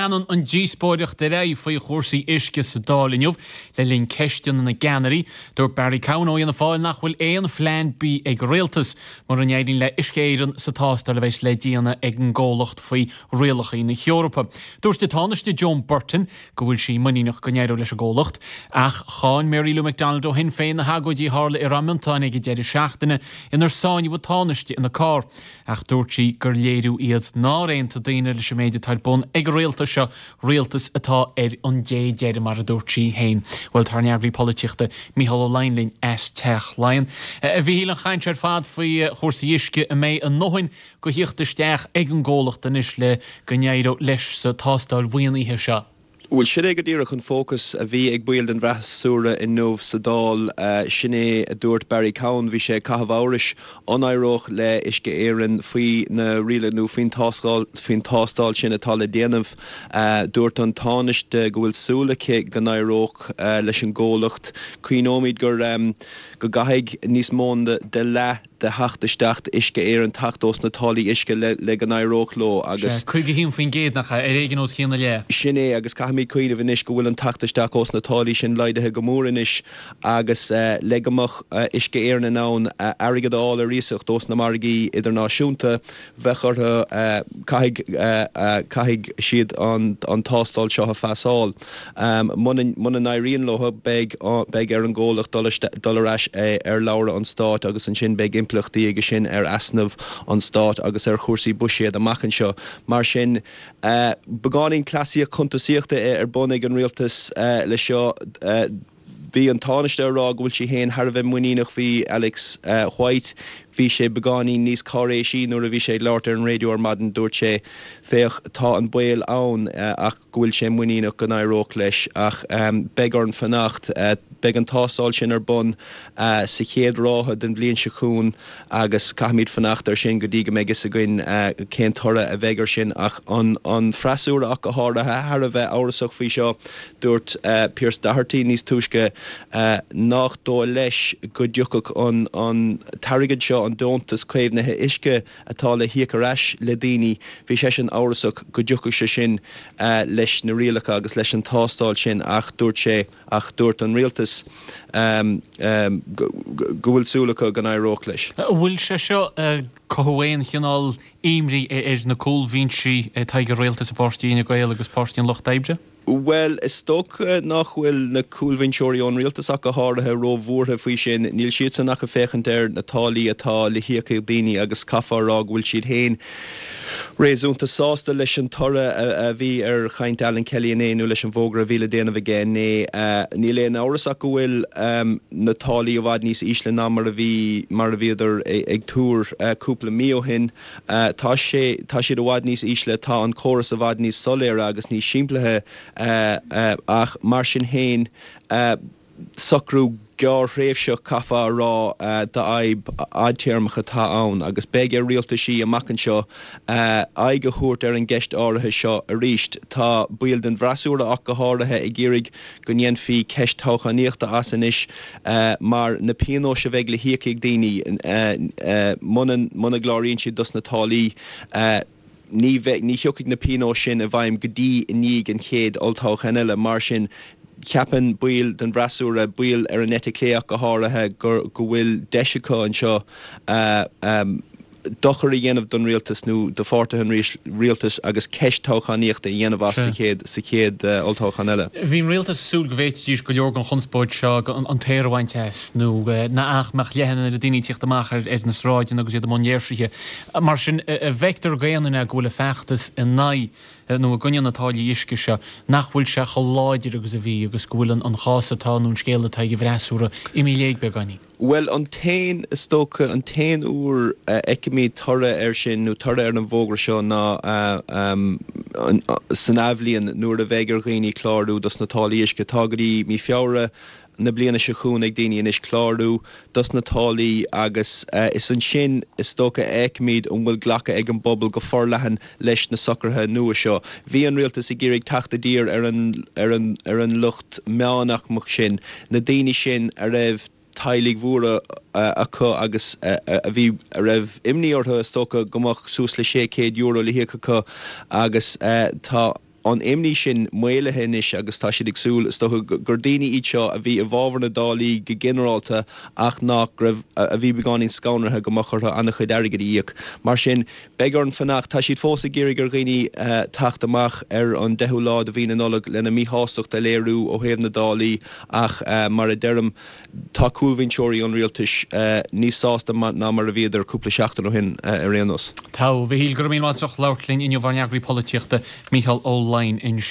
Leanann an díospóireacht ar aghaidh faoi chúrsaí uisce sa Dáil inniu le linn ceisteanna na gceannairí. Dúirt Barry Cowen ó Fhianna Fáil nach bhfuil aon phlean B ag an Rialtas mura n-éiríonn le Uisce Éireann sa tástáil a bheas le déanamh ag an gcomhlacht faoi rialacha na hEorpa. Dúirt an Tánaiste Joan Burton go bhfuil sí muiníneach go n-éireoidh leis an gcomhlacht. Ach cháin Mary Lou McDonald ó Shinn Féin na hagóidí a tharla i Ráth Miontáin ag an deireadh seachtaine inar sáinníodh an Tánaiste ina carr. Ach dúirt sí gur léiriú iad nár aontaigh daoine leis an méid atá ar bun ag an rialtas seo, rialtas atá ar an dé deiridh mar a dúirt sí féin. Bhuel, tá ár n-eagraí polaitíochta, Mícheál Ó Laighin linn as Teach Laighean. A Mhíchíl, an chaint ar fad faoi chúrsaí uisce, an mbeidh a ndóthain go thíocht isteach ag an gcomhlacht anois le go n-éireodh leis sa tástáil mhaoinithe seo? Bhuel, sin é go díreach an fócas a bhí ag baill den bhfreasúra inniu sa Dáil. Sin é a dúirt Barry Cowen. Bhí sé ag caitheamh amhrais an éireodh le Uisce Éireann faoi na rialacha nó faoin tástáil, faoin tástáil sin atá le déanamh. Dúirt an Tánaiste go bhfuil súil aici go n-éireodh leis an gcomhlacht. Cuimhneoimid gur go gcaithfidh níos mó de leath de theacht isteach d'Uisce Éireann teacht ós na táillí uisce le go n-éireodh leo agus. Sea, 51%, nach ea? Ar éigean os cionn a leath. Sin é, agus caithfimid cuimhneamh anois go bhfuil an teacht isteach ós na táillí sin laghdaithe go mór anois agus le go mbeadh Uisce Éireann in ann airgead a fháil ar iasacht ós na margaí idirnáisiúnta, bheadh orthu, caithfidh, caithfidh siad an tástáil seo a phasáil. Muna n-éiríonn leo, beidh, beidh ar an gcomhlacht dul, dul ar ais ar shlabhra an stáit agus ansin beidh impleachtaí aige sin ar easnamh an stáit agus ar chúrsaí buiséid amach anseo. Mar sin, beagáinín cleasaíocht chuntasaíochta ar bun ag an rialtas leis seo. Bhí an Tánaiste ag rá go bhfuil sí féin thar a bheith muiníneach faoi Alex White. Bhí sé beagáinín níos cáiréisí nuair a bhí sé ag labhairt ar an raidió ar maidin. Dúirt sé, Féach, tá an baol ann ach go bhfuil sé muiníneach go n-éireodh leis. Ach beidh orainn fanacht. Beidh an tástáil sin ar bun sa chéad ráithe den bhliain seo chugainn agus caithfimid fanacht air sin go dtí go mbeidh fhios againn cén toradh a bheidh air sin. Ach an freasúra ach go háirithe thar a bheith amhrasach faoi seo. Dúirt Pearse Doherty níos túisce nach dóigh leis go dtiocfadh an t-airgead seo, an deontas caomhnaithe uisce atá le híoc ar ais le daoine, bhí seisean amhrasach go dtiocfadh sé sin leis na rialacha agus leis an tástáil sin ach dúirt sé, ach dúirt an rialtas go bhfuil súil acu go n-éireodh leis. An bhfuil sé seo ag cothú aon chineál imní ar na cúlbhinsí atá ag an rialtas i bpáirtí Fhine Gael agus Páirtí an Lucht Oibre? Bhuel, is dócha nach bhfuil na cúlbhinseoirí ón rialtas ach go háirithe ró-bhuartha faoi sin. Níl siadsan ach ag féachaint ar na táillí atá le híoc ag daoine agus caithfeá a rá go bhfuil siad féin réasúnta sásta leis an toradh a bhí ar chaint Alan Kelly inné nó leis an bhfógra a bhí le déanamh aige inné. Níl aon amhras ach go bhfuil na táillí i bhfad níos ísle ná mar a bhí mar a bhíodar ag tuar cúpla mí ó shin. Tá sé, tá siad i bhfad níos ísle, tá an córas i bhfad níos soiléire agus níos simplithe ach mar sin féin, socrú gearrthréimhseach, caithfeá a rá, d'fhadhb fhadtéarmach atá ann agus beidh ar rialtaisí amach anseo aghaidh a thabhairt ar an gceist áirithe seo arís. Tá baill den bhfreasúra ach go háirithe ag iarraidh go ndéanfaí ceist toghchánaíochta as anois mar na pionóis a bheidh le híoc ag daoine muna gcláraíonn siad dos na táillí, ní bheidh, ní thiocfaidh na pionóis sin i bhfeidhm go dtí i ndiaidh an chéad olltoghcháin eile. Mar sin, ceapann baill den bhfreasúra, baill ar an eite chlé ach go háirithe, go bhfuil deis acu anseo dochar a dhéanamh don rialtas nó do pháirtithe an rialtais agus ceist toghchánaíochta a dhéanamh as sa chéad sa chéad olltoghchán eile. Bhí an rialtas ag súil go bhféadfaidís go leor den chonspóid seo an t-aer a bhaint as nó nach mbeadh leath an oiread daoine ag tíocht amach ar na sráideanna agus iad i mbun léirsithe. Mar sin, an bhfeictear d'aon duine go bhfuil an feachtas in aghaidh nó i gcoinne na táillí uisce seo, nach bhfuil sé chomh láidir agus a bhí agus go bhfuil an chás atá nó an scéal atá ag an bhfreasúra imithe i léig beagáinín? Bhuel, an t-aon, is dócha, an t-aon uair a fheicfimid toradh air sin, nó toradh ar an bhfógra seo, ná san athbhliain nuair a bheidh ar dhaoine clárú dos na táillí uisce. Tá go dtí mí Feabhra na bliana seo chugainn ag daoine anois clárú dos na táillí agus is ansin, is dócha, a fheicfimid an bhfuil glactha ag an bpobal go forleathan leis na socruithe nua seo. Bhí an rialtas ag iarraidh teacht i dtír ar an ar an ar an lucht meánaicmeach sin, na daoine sin a raibh teaghlaigh mhóra acu agus a bhí a raibh imní orthu, is dócha, go mbeadh suas le €600 le híoc acu agus tá. an imní sin maolaithe anois agus tá siad ag súil, is dócha, gur daoine iad seo a bhí i bhfabhar na dtáillí go ginearálta ach nach raibh, a bhí beagáinín scanraithe go mbeadh orthu an-chuid airgid a íoc. Mar sin, beidh orainn fanacht. Tá siad fós ag iarraidh ar dhaoine teacht amach ar an deichiú lá de mhí na Nollag lena míshástacht a léiriú ó thaobh na dtáillí ach, mar a deirim, Tá cúlbhinseoirí an rialtais níos sásta ná mar a bhíodar cúpla seachtain ó shin ar aon nós. Tá, a Mhichíl, go raibh míle maith agat as ucht labhairt linn inniu, ár n-eagraí polaitíochta, Mícheál Ó Laighin ansin.